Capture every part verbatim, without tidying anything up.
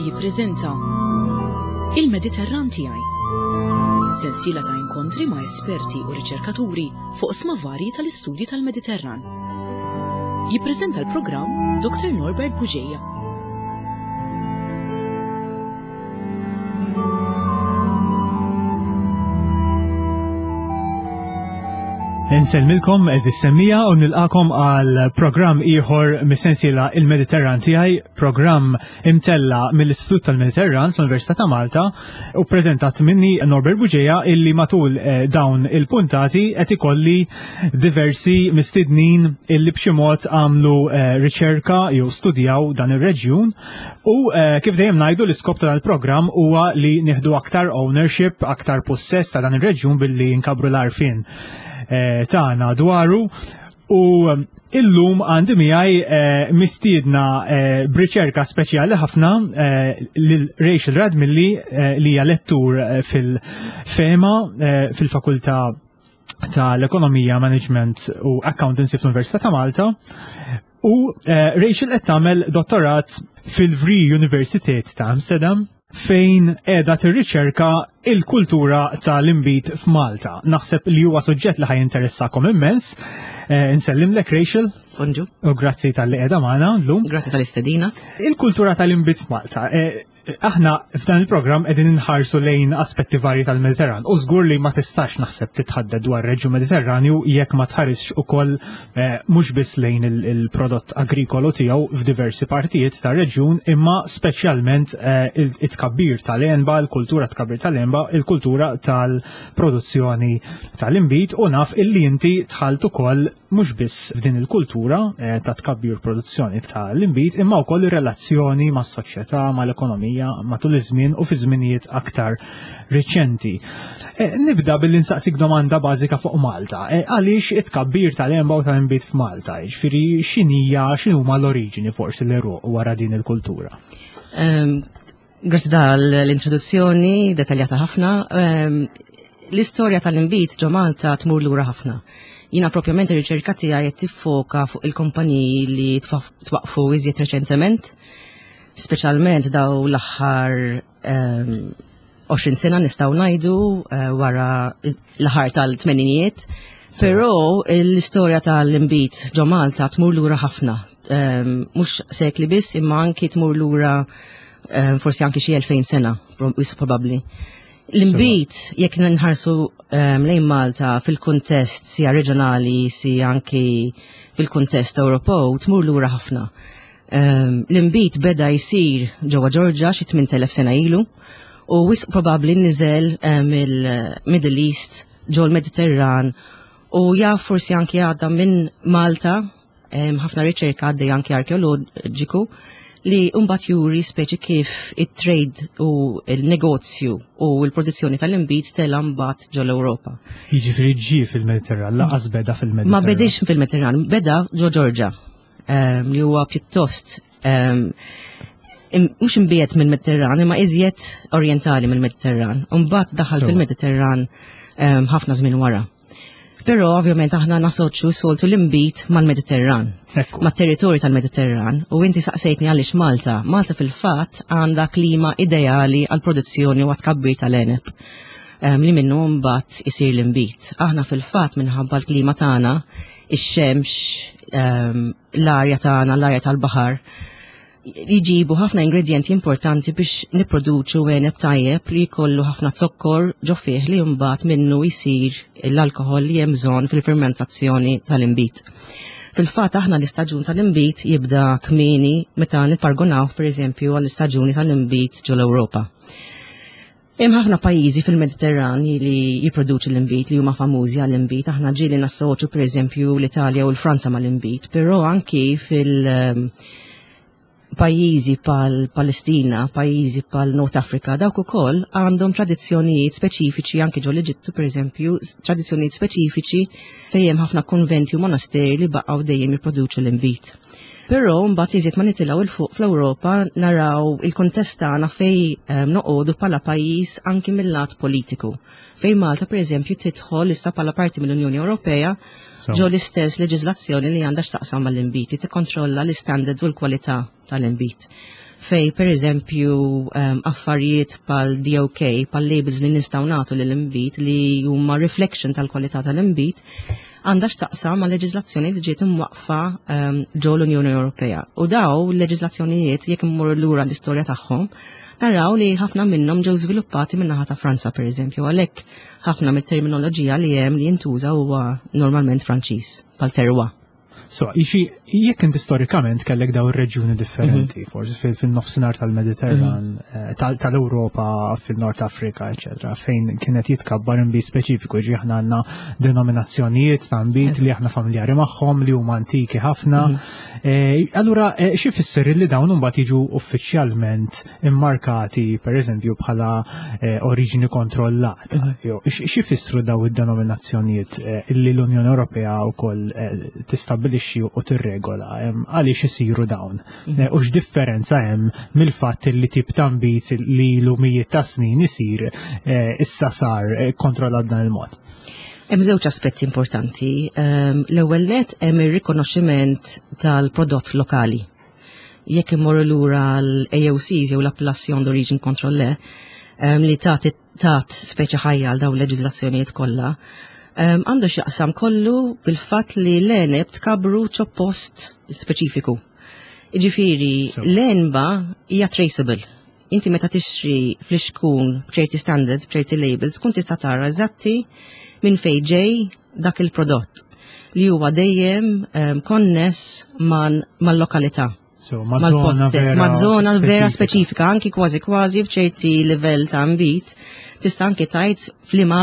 jippreżenta Il-Mediterran tiegħi. Sensiela ta' inkontri ma' esperti u riċerkaturi fuq oqsma varji tal-istudji tal-Mediterran. Jippreżenta l-programm Dr. Norbert Bugeja. Insellmilkom għeżież semmiegħa u nilqagħkom għal programm ieħor mis-sensiela Il-Mediterran tiegħi, programm imtella mill-Istitut tal-Mediterran fl-Università ta' Malta u preżentat minni Norbert Bugeja illi matul eh, dawn il-puntati qed ikolli diversi mistednin illi b'xi mod għamlu eh, riċerka jew studjaw dan ir-reġjun u eh, kif dejjem ngħidu l-iskop ta' dal-programm huwa li nieħdu aktar ownership, aktar possess ta' dan ir-reġjun billi nkabru l-għarfien eh, tagħna dwaru u eh, illum għandi miegħi eh, mistiedna eh, b'riċerka speċjali ħafna eh, lil Rachel Radmilli eh, li hija lettur eh, fil-FEMA eh, fil-Fakultà tal-Ekonomija, Management u Accountancy fl-Università ta' Malta. U eh, Rachel qed tagħmel dottorat fil-Vrije Universiteit ta' Amsterdam fejn qiegħda tirriċerka il-kultura tal-inbid f'Malta. Naħseb li huwa suġġett li ħa jinteressakom immens. Eh, Insellimlek Rachel Bonġu, u grazzi talli qiegħda magħna llum. grazzi tal-istedina. Il-kultura tal-inbid f'Malta. Eh, aħna f'dan il-programm qegħdin inħarsu lejn aspetti varji tal-Mediterran u żgur li ma tistax naħseb titħadded dwar reġjun Mediterranju jekk ma tħarisx ukoll eh, mhux biss lejn il- il-prodott agrikolu tiegħu f'diversi partijiet tar-reġjun imma speċjalment eh, il- it-tkabbir tal-għenba, il-kultura tkabbir tal-għenba, il-kultura tal-produzzjoni tal-inbid u naf illi inti dħalt ukoll mhux biss f'din il-kultura eh, ta' tkabbir produzzjoni tal-inbid imma wkoll ir-relazzjoni mas-soċjetà, mal-ekonomija matul iż-żmien u fi żminijiet aktar riċenti. Eh, Nibda billi nsaqsik domanda bażika fuq Malta. Eh, Għaliex it-tkabbir tal-għenba u tal-inbid f'Malta? Ġifieri x'inhija x'inhuma l-oriġini forsi l-għeruq wara din il-kultura? Um, Grazzi tal-introduzzjoni dettaljata ħafna. Um, L-istorja tal-inbid ġo Malta tmur lura ħafna. Jiena propjament ir-riċerka tiegħi qed tiffoka fuq il-kumpaniji li twaf- twaqfu iżjed reċentement, speċjalment daw l-aħħar um, għoxrin sena nistgħu ngħidu uh, wara l-aħħar tal-tmeninijiet. Però l-istorja tal-inbid ġo Malta tmur lura ħafna. Um, Mhux sekli biss, imma anki tmur lura um, forsi anki xi elfejn sena, pro- wis probabbli. L-inbid, jekk nħarsu um, lejn Malta fil-kuntest sija reġjonali, sija anki fil-kuntest Ewropew, tmur lura ħafna. Um, L-inbid beda jsir ġewwa Ġorġa xi tmint elef sena ilu u wisq probabbli niżel um, mill-Middle East ġol Mediterran u jaf forsi anki għadda minn Malta, um, ħafna riċerka għaddej anki arkeoloġiku li mbagħad juri speċi kif it-trade u il-negozju u l-produzzjoni tal-inbid tela mbagħad ġol Ewropa. Jiġifieri ġie fil-Mediterran, lanqas beda fil-Mediterran. Ma bedix fil-Mediterran, beda ġo Ġorġa, um, li huwa pjuttost um, im- mhux imbiegħed mill-Mediterran, imma iżjed orientali mill-Mediterran. Mbagħad daħal Sewa. fil-Mediterran um, ħafna żmien wara. Però ovvjament aħna nasoċu soltu l-inbid mal-Mediterran, Ekku. mat-territorju tal-Mediterran, u inti saqsejtni għaliex Malta. Malta fil-fatt għandha klima ideali għal produzzjoni u għat-tkabbir tal-għeneb um, li minnu mbagħad isir l-inbid. Aħna fil-fatt minħabba l-klima tagħna, ix-xemx, um, l-arja tagħna, l-arja tal-baħar, jġibu ħafna ingredienti importanti biex nipproduċu għeneb tajjeb li jkollu ħafna zokkor ġo fih li mbagħad minnu jsir l-alkohol li hemm bżonn fil-fermentazzjoni tal-inbid. Fil-fatt aħna l-istaġun tal-inbid jibda kmieni meta nippargonaw pereżempju għall-istaġuni tal-inbid ġol-Ewropa. Hemm ħafna pajjiżi fil-Mediterran li jipproduċu l-inbid li huma famużi għall-inbid. Aħna ġieli nassoċu pereżempju l-Italja u l-Franza mal-inbid, però anki fil- pajjiżi bħal Palestina, pajjiżi bħal North Africa, dawk ukoll għandhom tradizzjonijiet speċifiċi anke ġol Eġittu pereżempju, tradizzjonijiet speċifiċi fejn hemm ħafna konventi u monasteri li baqgħu dejjem jipproduċu l-inbid. Però mbagħad iżjed ma nitilgħu 'il fuq fl-Ewropa naraw il-kuntest tagħna fej um, noqogħdu bħala pajjiż anki mill-lat politiku. Fej Malta pereżempju tidħol issa bħala parti mill-Unjoni Ewropea So. ġo l-istess leġiżlazzjoni li għandha x'taqsam mal-inbid li tikkontrolla l-istandards u l-kwalità tal-inbid. Fej, per eżempju, um, affarijiet bħal D O K, bħal labels li nistgħu nagħtu lill-inbid li huma reflection tal-kwalità tal-inbid, għandha x'taqsam ma' leġiżlazzjoni li ġiet imwaqfa um, ġo l-Unjoni Ewropea. U daw l-leġiżlazzjonijiet, jekk immorru lura l-istorja tagħhom, naraw li ħafna minnhom ġew żviluppati min-naħa ta' Franza, per eżempju, għalhekk ħafna mit-terminoloġija li hemm li jintuża huwa normalment Franċiż, bħal terroir. So, ixi, jekk inti storikament kellek daw ir-reġjuni differenti, mm -hmm. forsi fil-nofsinhar tal-Mediterran, mm -hmm. tal-Ewropa, fil-Nord Afrika, eċetera, fejn kienet jitkabbar inbid speċifiku, ġi aħna għandna denominazzjonijiet ta' nbid li aħna familjari magħhom, li huma antiki ħafna. Mm -hmm. Allura, xi fisser li dawn imbagħad jiġu uffiċjalment immarkati, per eżempju, bħala oriġini kontrollata? Mm -hmm. Xi fissru daw id-denominazzjonijiet li l-Unjoni Ewropea wkoll tistabbilixxi u tirregola? Għaliex isiru dawn? Mhm. U x'differenza hemm mill-fatt li tip ta' nbid li l-mijiet ta' snin isir issa sar kontrollat dan il-mod? Hemm żewġ aspetti importanti. L-ewwel net, hemm ir-rikonoxximent tal-prodott lokali. Jekk immorru lura l-A O Cs jew l-Appellation d'Origine Contrôlée li tat tat speċi ħajja għal dawn l-leġiżlazzjonijiet kollha, għandu x'jaqsam kollu bil-fatt li l-għeneb tkabru ġo post speċifiku. Ġifieri, l-għenba hija traceable. Inti meta tixtri flixkun b'ċerti standards, b'ċerti labels, kun tista' tara eżatti minn fejn ġej dak il-prodott li huwa dejjem um, konness mal-lokalità. So, mal-post, ma' zona vera speċifika, anki kważi kważi f'ċerti livell ta' nbid, tista' anki tgħid f'liema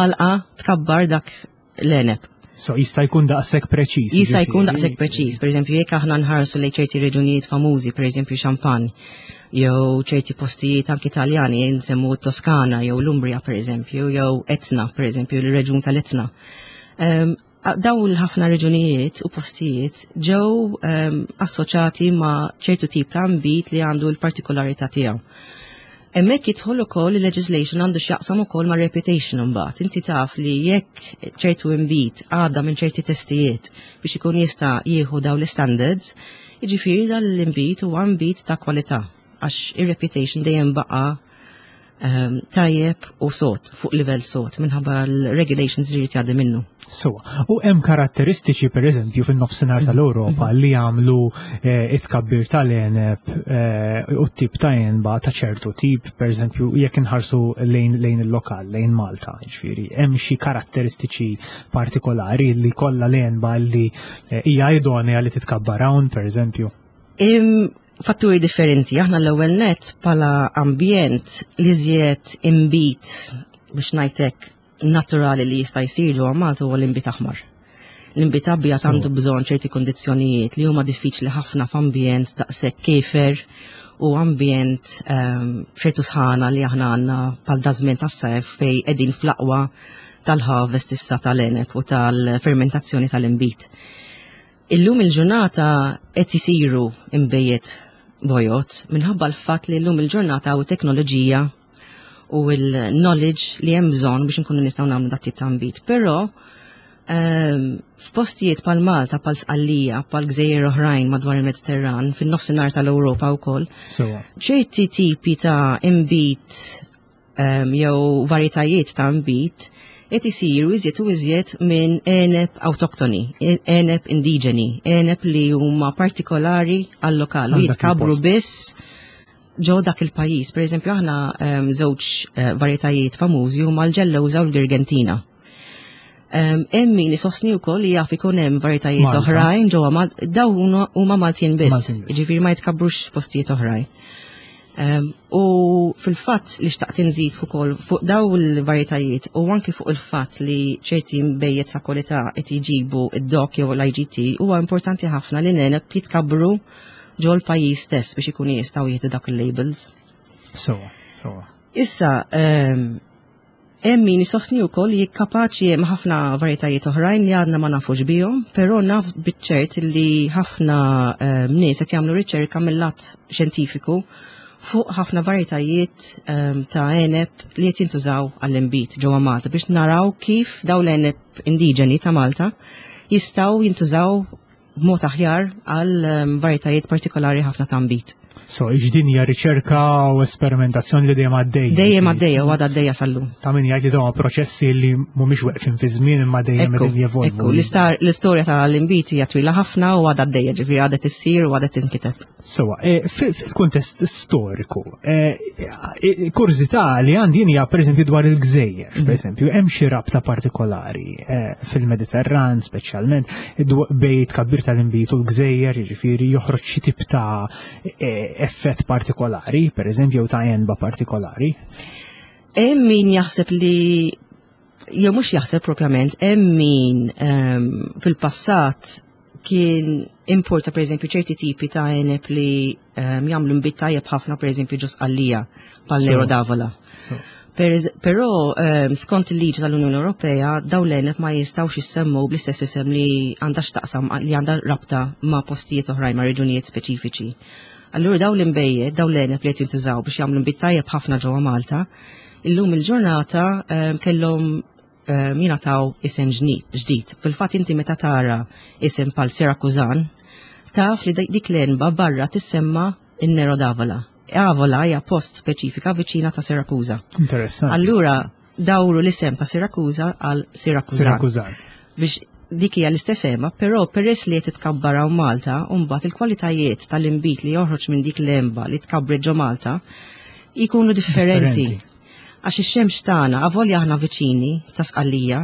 tkabbar dak l-għeneb. So jista' jkun daqshekk preċiż. Jista' jkun daqshekk preċiż. Per eżempju, jekk aħna nħarsu lejn ċerti reġunijiet famużi, per eżempju Champagne, jew ċerti postijiet anki Italjani, nsemmu Toskana jew l-Umbria, per eżempju, jew Etna, per eżempju, l-reġun tal-Etna. Um, daw l-ħafna reġunijiet u postijiet ġew um, assoċjati ma' ċertu tip ta' nbid li għandu l-partikolarità tiegħu. Hemmhekk jidħol ukoll il-legislation, għandu x'jaqsam ukoll ma' reputation imbagħad. Inti taf li jekk ċertu inbid għadda minn ċerti testijiet biex ikun jista' jieħu daw l-standards, jiġifieri dan l-inbid huwa nbid ta' kwalità, għax ir-reputation dejjem baqa' um, tajjeb u sod, fuq livell sod, minħabba l-regulations li jrid jgħaddi minnu. So, u hemm karatteristiċi, per eżempju, fin-nofsinhar tal-Ewropa li jagħmlu eh, it-tkabbir tal-għeneb eh, u t-tip ta' għenba ta' ċertu tip, per eżempju, jekk inħarsu lejn lejn il-lokal, lejn Malta, ġifieri, hemm xi karatteristiċi partikolari li kollha l-għenba li eh, hija idonea li titkabbar hawn, per eżempju? Im, fatturi differenti. Aħna l-ewwel net bħala ambjent, li żjed inbid, biex ngħidlek, naturali li jista' jsir ġewwa Malta huwa l-inbid aħmar. L-inbid abjad So- għandu bżonn ċerti kondizzjonijiet li huma diffiċli ħafna f'ambjent daqshekk kiefer u ambjent um, ċertu sħana li aħna għandna bħal daż-żmien tas-sajf, fej qegħdin fl-aqwa tal-harvest issa tal-għeneb u tal-fermentazzjoni tal-inbid. Illum il-ġurnata qed isiru inbejjed bojod minħabba l-fatt li llum il-ġurnata u teknoloġija u l-knowledge li hemm bżonn biex nkunu nistgħu nagħmlu dat tip ta' nbid. Però ehm, f'postijiet bħal Malta, bħal Sqallija, bħal gżejjer oħrajn madwar il-Mediterran, fin-nofsinhar tal-Ewropa wkoll, So, ċerti tipi ta' inbid um, jew varjetajiet ta' inbid qed isiru iżjed u iżjed minn għeneb awtoktoni, għeneb indiġeni, għeneb li huma partikolari għal-lokal u Għal dak jitkabru il-post. biss ġo dak il-pajjiż. Per eżempju, aħna um, żewġ uh, varjetajiet famużi huma l-Ġellewża u l-Girgentina. Um, Hemm min isostni wkoll li jaf ikun hemm varjetajiet Malta. oħrajn ġewwa Mal- daw huma- huma Maltin biss. Maltin biss. Jiġifieri ma jitkabrux f'postijiet oħrajn. Um, u fil-fatt li xtaqt inżid ukoll fuq daw il-varjetajiet u anki fuq il-fatt li ċerti nbejjed ta' kwalità qed jġibu id-D O C jew l I G T, huwa importanti ħafna li l-għeneb jitkabru ġol pajjiż stess biex ikunu jistgħu jieħdu dak il-labels. so, so. Issa, um, hemm min isostni wkoll li kapaċi hemm ħafna varjetajiet oħrajn li għadna ma nafux bihom, però naf biċ-ċert li ħafna um, nies qed jagħmlu riċerka mill-lat xjentifiku fuq ħafna varjetajiet um, ta' għeneb li qed jintużaw għall-inbid ġewwa Malta biex naraw kif daw l-għeneb indiġeni ta' Malta jistgħu jintużaw b'mod aħjar għal um, varjetajiet partikolari ħafna ta' nbid. So, din hija riċerka u esperimentazzjoni li dejjem għaddejja. Dejjem għaddejja u għadha għaddejja sal-lum. Ta' min jgħid li dawn proċessi li mhumiex weqfin fi żmien imma dejjem qegħdin jevolvu. Ekku, l-istorja tal-inbid hija twila ħafna u għadha għaddejja, ġifieri għadha tissir u għadha tinkiteb. Sewa, e, fil-kuntest storiku, e, e, kurżità li għandi hija pereżempju dwar il-gżejjer, mhm. pereżempju, hemm xi rabta partikolari fil-Mediterran speċjalment bejn tkabbir tal-inbid u l-gżejjer, jiġifieri joħroġ xi tip ta' effett partikolari, per eżempju, ta' għenba partikolari? Hemm min jaħseb li jew mhux jaħseb propjament, hemm min um, fil-passat kien importa per eżempju ċerti tipi ta' għeneb li um, jagħmlu nbid tajjeb ħafna per eżempju ġo Sqallija bħal Nero d'Avola. Però um, skont il-liġi tal-Unjoni Ewropea dawn l-għeneb ma jistgħux jissemmu bl-istess isem li għandha x'taqsam li għandha rabta ma' postijiet oħrajn ma' reġunijiet speċifiċi. Allura dawn l-inbejjed, dawn l-għeneb li qed jintużaw biex jagħmlu nbid tajjeb ħafna ġewwa Malta, illum il-ġurnata um, kellhom um, jingħataw isem ġdid. Fil-fatt inti meta tara isem bħal Sirakużan, taf li dik l-għenba barra tissemma in-Nero d'Avola. Avola hija post speċifika viċina ta' Sirakuża. Interessanti. Allura dawru l-isem ta' Sirakuża għal Sirakużan. Sirakużan. Biex dik hija l-istess għenba, però peress li qed titkabbar hawn Malta, u mbagħad il-kwalitajiet tal-inbid li joħroġ minn dik l-għenba li tkabbret ġo Malta jkunu differenti. Għax ix-xemx tagħna avolja aħna viċini ta' Sqallija,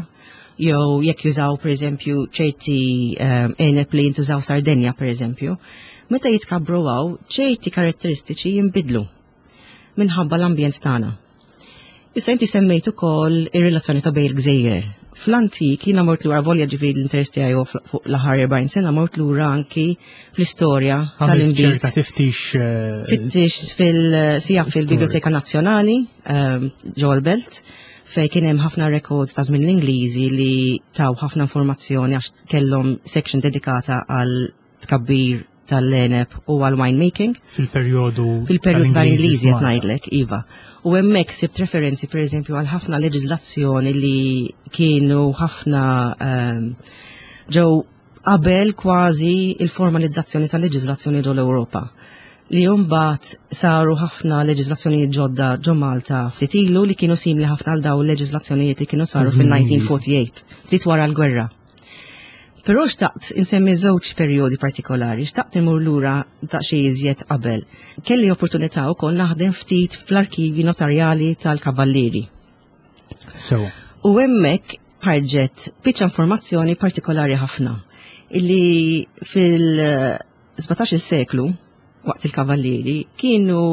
jew jekk jużaw pereżempju ċerti ehm, għeneb li jintużaw Sardenja pereżempju, meta jitkabru hawn ċerti karatteristiċi jinbidlu minħabba l-ambjent tagħna. Issa inti semmejt ukoll ir-relazzjoni ta' bejn il-gżejjer. Fl-antik jiena mort lura volja ġifieri l-interess tiegħi fuq l-aħħar erbgħin sena mort lura anki fl-istorja tal-inbid. ċerta tiftix. Eh, Fittix fil-sija fil-Biblioteka Nazzjonali ehm, ġewwa l-Belt fej kien hemm ħafna records ta' żmien l-Ingliżi li taw ħafna informazzjoni għax kellhom section dedikata għal tkabbir tal-għeneb u għal winemaking. Fil-perjodu. Fil-perjodu tal-Ingliżi qed ngħidlek, iva. U hemmhekk sibt referenzi pereżempju għal ħafna leġiżlazzjoni li kienu ħafna ehm, ġew qabel kważi il-formalizzazzjoni tal-leġiżlazzjoni ġo l-Ewropa. Li mbagħad saru ħafna leġiżlazzjonijiet ġodda ġo Malta ftit ilu li kienu simili ħafna għal dawn il-leġiżlazzjonijiet li kienu saru fil-elf disa' mija u erbgħa u erbgħin, ftit wara l-gwerra. Però xtaqt insemmi żewġ perjodi partikolari, xtaqt imur lura daqsxejn iżjed qabel. Kelli opportunità wkoll naħdem ftit fl-arkivi notarjali tal-Kavallieri. So. U hemmhekk ħarġet biċċa informazzjoni partikolari ħafna illi fil-sbatax-il seklu waqt il-Kavallieri kienu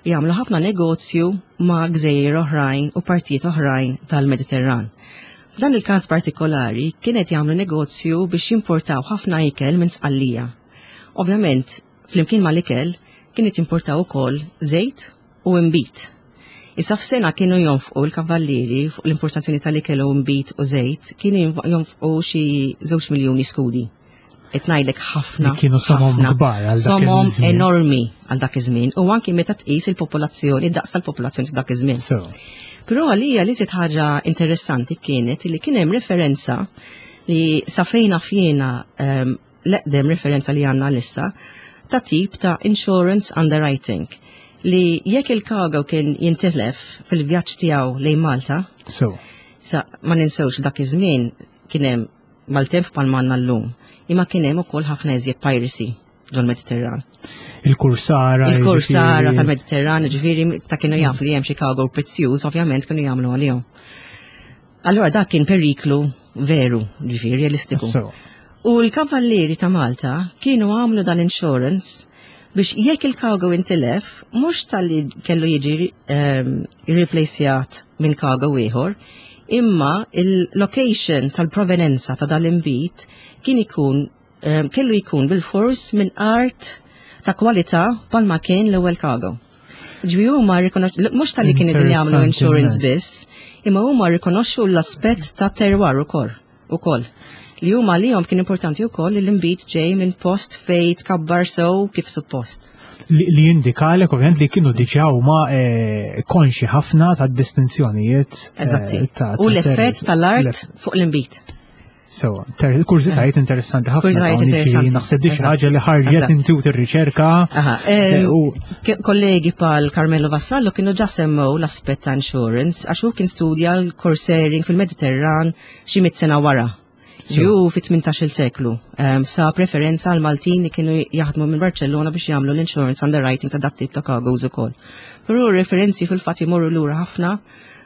jagħmlu ħafna negozju ma' gżejjer oħrajn u partijiet oħrajn tal-Mediterran. F'dan il-każ partikolari kienet jagħmlu negozju biex jimportaw ħafna ikel minn Sqallija. Ovvjament, flimkien mal-ikel kienet jimportaw ukoll żejt u imbit. Issa f'sena kienu jonfqu l-kavallieri fuq l-importazzjoni tal-ikel u imbit u żejt, kienu jonfqu xi żewġ miljuni skudi. Qed ngħidlek ħafna. Li kienu somom ħafna. kbar għal dak Somom iż-żmien. enormi għal dak iż-żmien u anki meta tqis il-popolazzjoni, id-daqs tal-popolazzjoni ta' dak iż-żmien. So. Però għalija li żied ħaġa interessanti kienet li kien hemm referenza li sa fejna fjena um, l-eqdem referenza li għandna issa ta' tip ta' insurance underwriting li jekk il-cargo kien jintilef fil-vjaġġ tiegħu lejn Malta, So. sa ma ninsewx dak iż-żmien kien hemm maltemp bħal m'għandna llum, imma kien hemm ukoll ħafna iżjed piracy ġol-Mediterran. Il-kursara. Il-kursara jiġifieri- tal-Mediterran, ġifieri ta' kienu jaf li hemm xi cargo prezzjuż, ovvjament kienu jagħmlu għalihom. Allora dak kien periklu veru, ġifieri realistiku. So. U l-kavallieri ta' Malta kienu għamlu dan insurance biex jekk il-cargo intilef, mhux talli kellu jiġi um, replaceat minn cargo ieħor, imma il-location tal-provenenza ta' dal-inbid kien ikun um, kellu jkun bil-fors minn art ta' kwalità palma kien l-ewwel cargo. Ġifieri huma rikonox- mhux talli kienu qegħdin jagħmlu Interessanti insurance immens. biss, imma huma rikonoxxu l-aspett ta' terroir ukoll ukoll. Li huma lihom kien importanti wkoll li l-inbid ġej minn post fej tkabbar sew kif suppost. Li, li jindikalek ovvjament li kienu diġà huma eh, konxi ħafna ta' distinzjonijiet. eh, Eżatti. ta' U ta' l-effett terri- tal-art l- fuq l-inbid. So, kurżitajiet interessanti ħafna. Kurżitajiet interessanti. Naħseb di xi ħaġa li ħarġet intu tir-riċerka. Kollegi bħal Carmelo Vassallo kienu ġa semmew l-aspett ta' insurance għax hu kien studja l-corsairing fil-Mediterran xi mitt sena wara. Ġew fit-tmintax-il seklu. Sa preferenza għal Maltin li kienu jaħdmu minn Barcellona biex jagħmlu l-insurance underwriting ta' dat tip ta' cargoes ukoll. Però referenzi fil-fatt imorru lura ħafna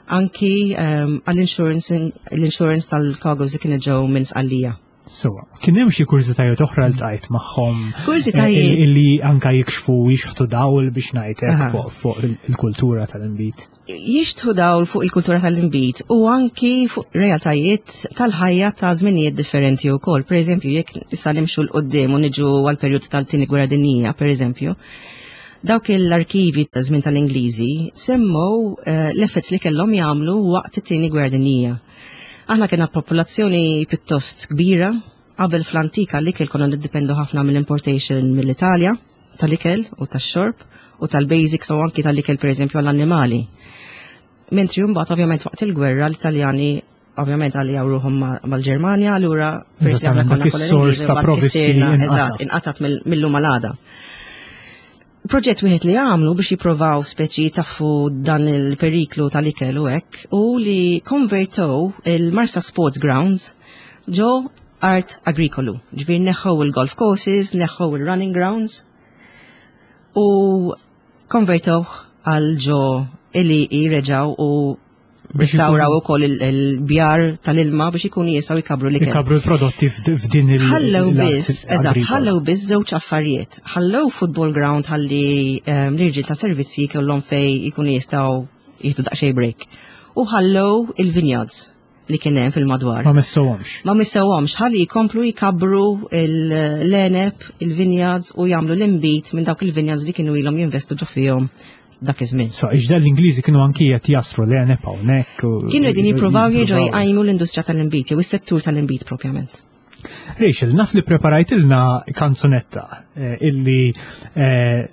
anki għall-insurance l-insurance tal-cargoes li kienu ġew minn Sqallija. So, kien hemm xi kurżitajiet oħra li ltqajt magħhom Kurżitajiet illi anka jikxfu jixħtu dawl biex ngħidlek fuq il-kultura tal-inbid. Jixtħu dawl fuq il-kultura tal-inbid u anki fuq realtajiet tal-ħajja ta' żminijiet differenti wkoll. Per eżempju, jekk issa nimxu 'l quddiem u niġu għal perjodu tal-tieni gwerra dinjija, per eżempju, dawk l-arkivi ta' żmien tal-Ingliżi semmow l-effett li kellhom jagħmlu waqt it-tieni gwerra dinjija. Aħna kena popolazzjoni pjuttost kbira, qabel fl-antika l-ikel konna niddependu ħafna mill-importation mill-Italja, tal-ikel u tax-xorb u tal-basics u anki tal-ikel per eżempju għall-annimali. Mentri mbagħad ovvjament waqt il-gwerra l-Italjani ovvjament għalli ruħhom mal-Ġermanja, allura peress li aħna konna is-sors ta' provvisti eżatt, inqatat mill-lum għal Proġett wieħed li għamlu biex jipprovaw speċi taffu dan il-periklu tal-ikel u hekk u li konvertow il-Marsa Sports Grounds ġo art agrikolu. Ġifieri neħħu il-golf courses, neħħu il-running grounds u konvertow għal ġo ili reġaw u restawraw ukoll il-bjar tal-ilma biex ikunu jistgħu jkabru l-ikel. Ikabru l-prodotti f'din il- Ħallew biss, eżatt, ħallew biss żewġ affarijiet. Ħallew football ground ħalli l-irġiel ta' servizzi kellhom fej ikunu jistgħu jieħdu daqsxejn break. U ħallew il-vineyards li kien hemm fil-madwar. Ma messewhomx. Ma messewhomx, ħalli jkomplu jkabru l-għeneb, il-vineyards u jagħmlu l-inbid minn dawk il-vineyards li kienu ilhom jinvestu ġo fihom dak iż-żmien. So, iġda l-Ingliżi kienu anki qed jasru l-għeneb hawnhekk. Kienu qegħdin jippruvaw jerġgħu jqajmu l-industrija tal-inbid jew is-settur tal-inbid propjament. Rachel, naf li preparajtilna kanzunetta illi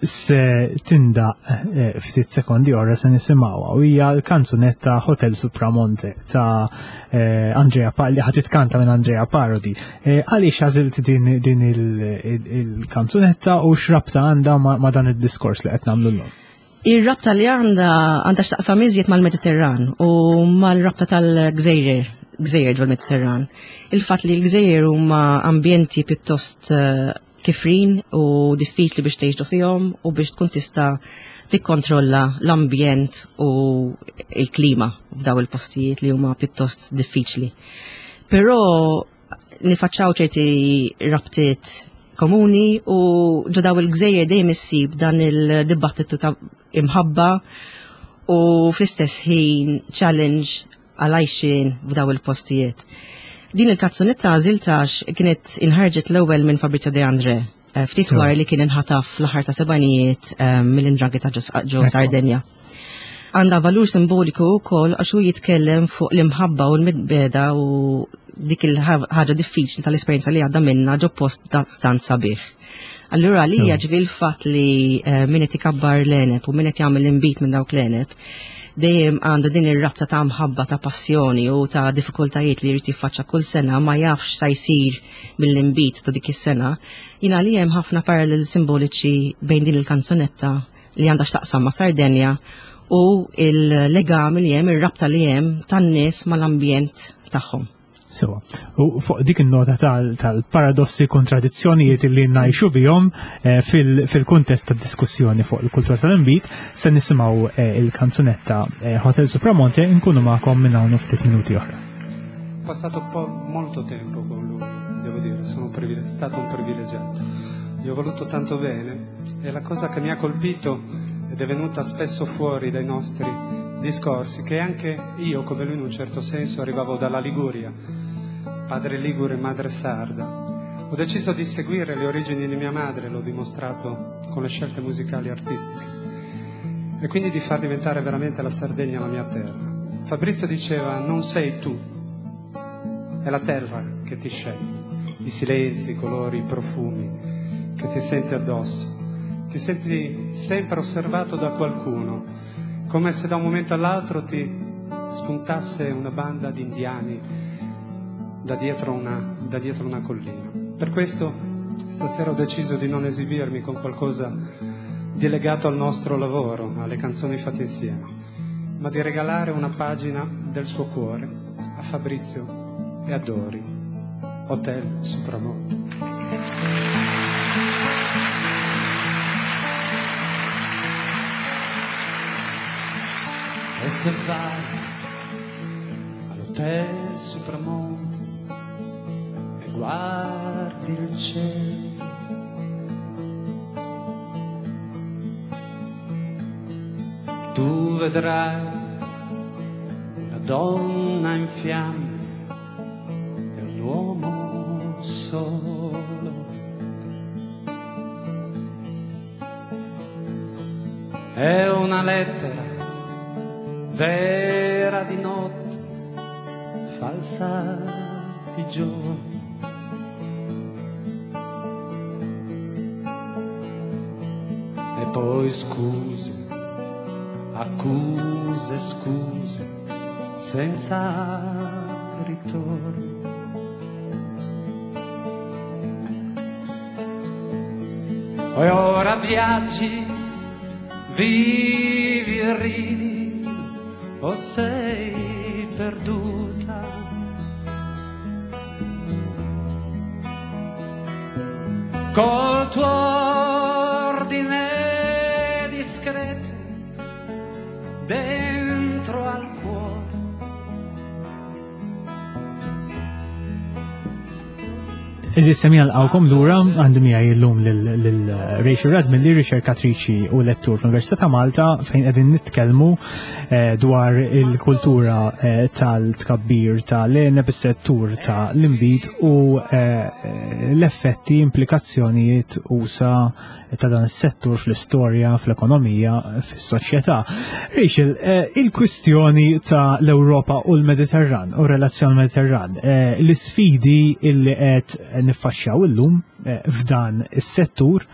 se tindaqq ftit sekondi oħra se nisimgħuha u hija l-kanzunetta Hotel Supramonte ta' Andrea Parodi, li ħa titkanta minn Andrea Parodi. Għaliex għażilt din il-kanzunetta u x'rabta għandha ma' dan id-diskors li qed nagħmlu llum? Ir-rabta li għandha għandha x'taqsam iżjed mal-Mediterran u mal-rabta tal-gżejjer, gżejjer ġol-Mediterran. Il-fatt li l-gżejjer huma ambjenti pjuttost kifrin u diffiċli biex tgħixu fihom u biex tkun tista' tikkontrolla l-ambjent u l-klima f'daw il-postijiet li huma pjuttost diffiċli. Però nifaċċaw ċerti rabtiet komuni u ġo daw il-gżejjer dejjem issib dan il-dibattitu ta' imħabba u fl-istess ħin challenge għal-għajxien f'daw il-postijiet. Din il-kanzunetta għażiltha kienet inħarġet l-ewwel minn Fabrizio De André, ftit wara li kien inħataf fl-aħħar ta' sebgħinijiet mill-'Ndrangheta ġo Sardenja. Għandha valur simboliku wkoll għax hu jitkellem fuq l-imħabba u l-midbeda u dik il-ħaġa diffiċli tal-esperjenza li għadda minna ġo post stant sabiħ. Allura li ġifieri l-fatt li min qed ikabbar l-għeneb u min qed jagħmel l-inbid minn dawk l-għeneb dejjem għandu din ir-rabta ta' mħabba ta' passjoni u ta' diffikultajiet li jrid jiffaċċa kull sena ma jafx sa jsir mill-inbid ta' dik is-sena. Jiena li hemm ħafna parallel simboliċi bejn din il-kanzunetta li għandha x'taqsam ma' Sardenja u il-legami li hemm, ir-rabta li hemm tan-nies mal-ambjent tagħhom. Sewa, u fuq dik il-nota tal-paradossi kontradizzjonijiet li ngħixu bihom fil-kuntest tad-diskussjoni fuq il-kultura tal-inbid, se nisimgħu il-kanzunetta Hotel Supramonte, nkunu magħkom minn hawn ftit minuti oħra. Passato po molto tempo con lui, devo dire, sono stato un privilegiato. Gli ho voluto tanto bene e la cosa che mi ha colpito ed è venuta spesso fuori dai nostri discorsi, che anche io, come lui in un certo senso, arrivavo dalla Liguria, padre ligure e madre sarda. Ho deciso di seguire le origini di mia madre, l'ho dimostrato con le scelte musicali e artistiche, e quindi di far diventare veramente la Sardegna la mia terra. Fabrizio diceva, non sei tu, è la terra che ti sceglie, i silenzi, i colori, i profumi che ti senti addosso. Ti senti sempre osservato da qualcuno, come se da un momento all'altro ti spuntasse una banda di indiani da dietro una, da dietro una collina. Per questo stasera ho deciso di non esibirmi con qualcosa di legato al nostro lavoro, alle canzoni fatte insieme, ma di regalare una pagina del suo cuore a Fabrizio e a Dori. Hotel Supramonte. E se vai all'Hotel Supramonte e guardi il cielo, tu vedrai una donna in fiamme e un uomo solo. È una lettera vera di notte, falsa di giorno. E poi scuse, accuse, scuse, senza ritorno. E ora viaggi, vivi e ridi, o sei perduta. Col tuo ordine discreto dentro al cuore. Għeżież semmiegħa nilqagħkom lura għandi miegħi llum lil Rachel Radmilli, riċerkatriċi u lettur fl-Università ta' Malta, fejn qegħdin nitkellmu dwar il-kultura tal-tkabbir tal-għeneb, is-settur tal-inbid u l-effetti, implikazzjonijiet usa ta' dan is-settur fl-istorja, fl-ekonomija, fis-soċjetà. Rachel, il-kwistjoni ta' l-Ewropa u l-Mediterran u relazzjoni Mediterran, l-isfidi illi qed niffaċċjaw illum f'dan is-settur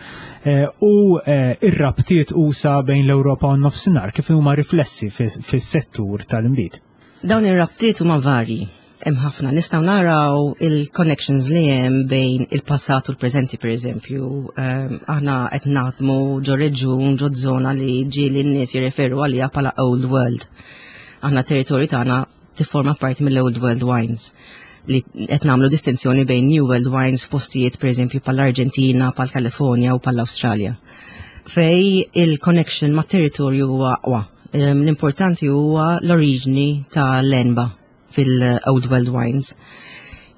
u ir-rabtiet usa bejn l-Ewropa u n-nofsinhar kif huma riflessi fis-settur tal-inbid. Dawn ir-rabtiet huma varji. Hemm ħafna nistgħu naraw il-connections li hemm bejn il-passat u l-preżenti, pereżempju. Aħna qed naħdmu ġo reġjun, ġo żona li ġieli n-nies jirreferu għaliha bħala Old World. Aħna territorju tagħna tifforma parti mill-Old World Wines, li qed nagħmlu distinzjoni bejn New World Wines f'postijiet pereżempju bħall-Arġentina, bħall-Kalifornja u bħall-Awstralja. Fej il-connection mat-territorju huwa aqwa. L-importanti huwa l-oriġni tal-enba fil-Old World Wines.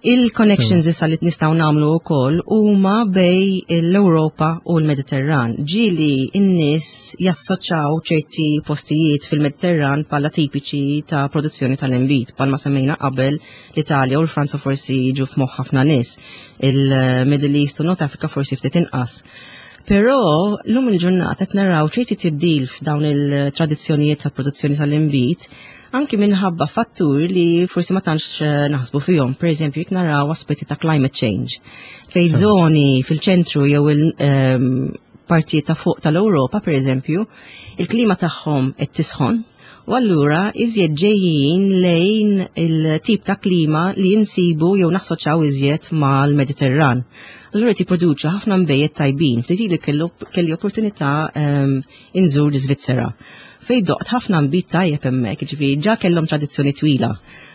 Il-connections issa li nistgħu nagħmlu wkoll huma bej l-Ewropa u l-Mediterran. Ġieli n-nies jassoċjaw ċerti postijiet fil-Mediterran bħala tipiċi ta' produzzjoni tal-inbid, bħalma semmejna qabel l-Italja u l-Franza forsi jiġu f'moħħ ħafna nies, il-Middle East u North Africa forsi ftit inqas. Però llum il-ġurnata qed naraw ċerti tibdil f'dawn il-tradizzjonijiet ta' produzzjoni tal-inbid, anki minħabba fattur li forsi ma tantx naħsbu fihom. Per eżempju, jekk naraw aspetti ta' climate change, fejn żoni fil-ċentru jew il-partijiet ta' fuq tal-Ewropa, per eżempju, il-klima tagħhom qed tisħon, u allura iżjed ġejjin lejn il-tip ta' klima li jinsibu jew nassoċjaw iżjed mal-Mediterran. Allura qed jipproduċu ħafna nbejjed tajbin. Ftit ili kelli opportunità inżur l-Iżvizzera, fej doqt ħafna nbid tajjeb hemmhekk, jiġifieri ġa kellhom tradizzjoni twila.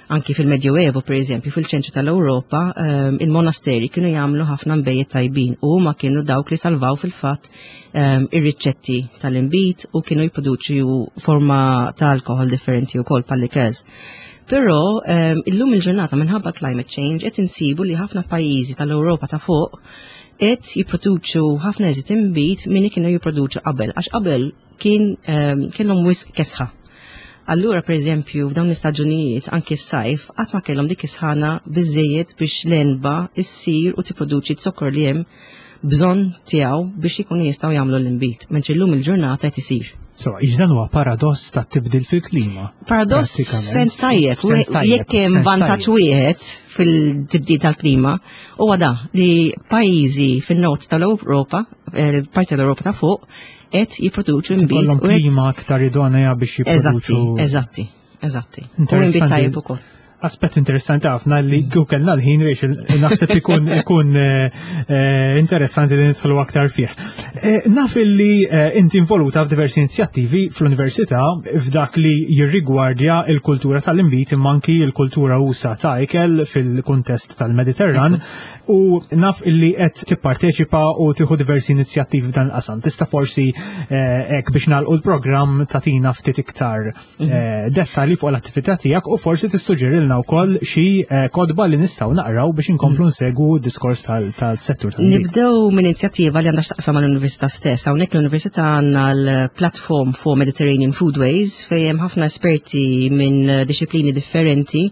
Anki fil-Medjoevo, per eżempju, fil-ċentru tal-Ewropa, il-monasteri kienu jagħmlu ħafna nbejjed tajbin u huma kienu dawk li salvaw fil-fatt ir-riċetti tal-inbid u kienu jipproduċu forma ta' alkohol differenti wkoll bħal-likez. Però illum il-ġurnata minħabba climate change qed insibu li ħafna pajjiżi tal-Ewropa ta' fuq qed jipproduċu ħafna eżit inbid milli kienu jipproduċu qabel, għax qabel kien kellhom wisq kesħa. Allura, per eżempju, f'dawn l-istaġunijiet, anki s-sajf, qatt ma kellhom dik is-sħana biżejjed biex l-enba issir u tipproduċi z-zokkor li hemm bżonn tiegħu biex ikunu jistgħu jagħmlu l-inbid, mentri llum il-ġurnata qed isir. So, dan huwa paradoss ta' tibdil fil-klima. Paradoss sens tajjeb, jekk hemm vantaġġ wieħed fil-tibdil tal-klima, huwa da li pajjiżi fin-nord tal-Ewropa, parti tal-Ewropa ta' fuq, qed jipproduċu inbid. U klima aktar idonea biex jipproduċu. Eżatti, eżatti, eżatti. U inbid tajjeb ukoll. Aspett interessanti ħafna li kieku kellna l-ħin, Rachel, naħseb ikun ikun eh, eh, interessanti li nidħlu aktar fih. Eh, naf li inti involuta f'diversi inizjattivi fl-università f'dak li jirrigwardja il-kultura tal-inbid, imma anki il-kultura usa' ta' ikel fil-kuntest tal-Mediterran, u naf illi qed tipparteċipa u tieħu diversi inizjattivi f'dan il-qasam. Tista' forsi hekk biex nagħlqu l-programm tagħtina ftit iktar mhm. dettalji fuq l-attività tiegħek u forsi tissuġġerilna wkoll xi eh, kotba li nistgħu naqraw biex inkomplu mm. nsegwu diskors tal-settur tal Nibdew minn inizjattiva li għandha x'taqsam mal-Università stess. Hawnhekk l-Università għandna l-Platform for Mediterranean Foodways, fejn hemm ħafna esperti minn disciplini differenti,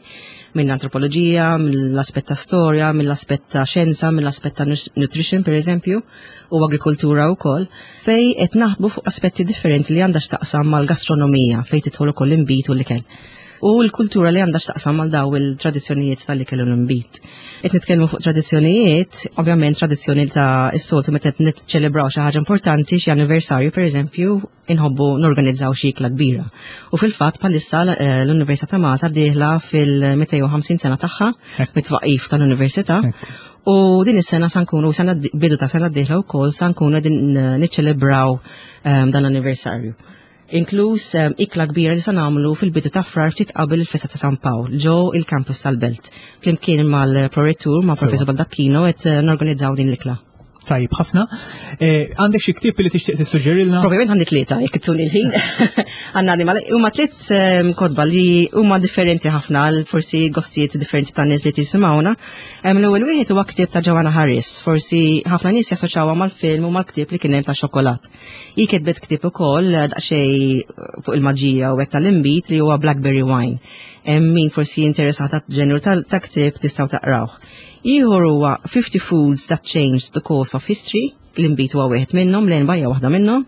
minn antropoloġija, mill-aspett ta' storja, mill-aspett ta' xjenza, mill-aspett ta' nutrition per eżempju, u agrikoltura wkoll, fejn qed naħdmu fuq aspetti differenti li għandha x'taqsam mal-gastronomija, fejn tidħol ukoll inbid u l-ikel u l-kultura li għandha x'taqsam mal daw il-tradizzjonijiet tal-ikel u l-inbid. Qed nitkellmu fuq tradizzjonijiet, ovvjament tradizzjoni ta' is-soltu meta qed niċċelebraw xi ħaġa importanti, xi anniversarju pereżempju, inħobbu norganizzaw xi ikla kbira. U fil-fatt bħalissa eh, l-Università ta' Malta dieħla fil-mitejn u ħamsin sena tagħha mit-twaqif tal-Università. U din is-sena sa nkunu sena bidu ta' sena d-dieħla wkoll sa nkunu qegħdin niċċelebraw um, dan l-anniversarju. Inkluż um, ikla kbira li sa nagħmlu fil-bidu ta' Frar, ftit qabel il-festa ta' San Pawl, ġo il-campus tal-Belt. Flimkien mal-prorettur, ma' Professor Baldacchino, qed eh, norganizzaw din l-ikla. Tajib ħafna. Eh, għandek xi ktieb li tixtieq tissuġġerilna? Probabilment għandi tlieta, jekk ittuni l-ħin. Għandna għandi huma tliet ehm, kotba li huma differenti ħafna għal forsi gostijiet differenti ta' nies li tisimgħuna. Ehm, L-ewwel wieħed huwa ktieb ta' Joanna Harris, forsi ħafna nies jassoċjawha mal-film u mal-ktieb li kien hemm ta' xokolat. Hi kitbet ktieb ukoll eh, daqsxejn fuq il-maġija u hekk tal-inbid li huwa Blackberry Wine. Hemm min forsi interessata ġenru ta' ktieb, tistgħu taqrawh. Ieħor huwa fifty Foods That Changed the Course of History, l-inbid huwa wieħed minnhom, l-għenba hija waħda minnhom.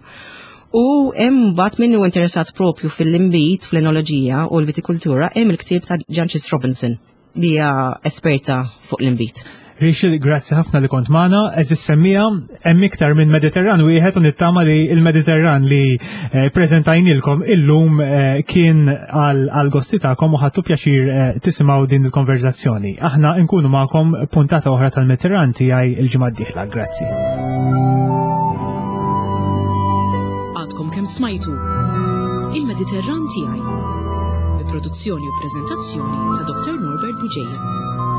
U hemm mbagħad min hu interessat propju fil-inbid, fl-enoloġija u l-vitikultura, hemm il-ktieb ta' Jancis Robinson li hija esperta fuq l-inbid. Rachel, grazzi ħafna li kont magħna. Għeżież semmiegħa, hemm iktar minn Mediterran wieħed u nittama li il-Mediterran li eh, prezentajnilkom illum eh, kien għal gosti tagħkom u ħadtu pjaċir eh, tisimgħu din il-konverzazzjoni. Aħna nkunu magħkom puntata oħra tal-Mediterran tiegħi il-ġimgħa d-dieħla. Grazzi. Għadkom kemm smajtu Il-Mediterran tiegħi bi produzzjoni u preżentazzjoni ta' Doktor Norbert Bugeja.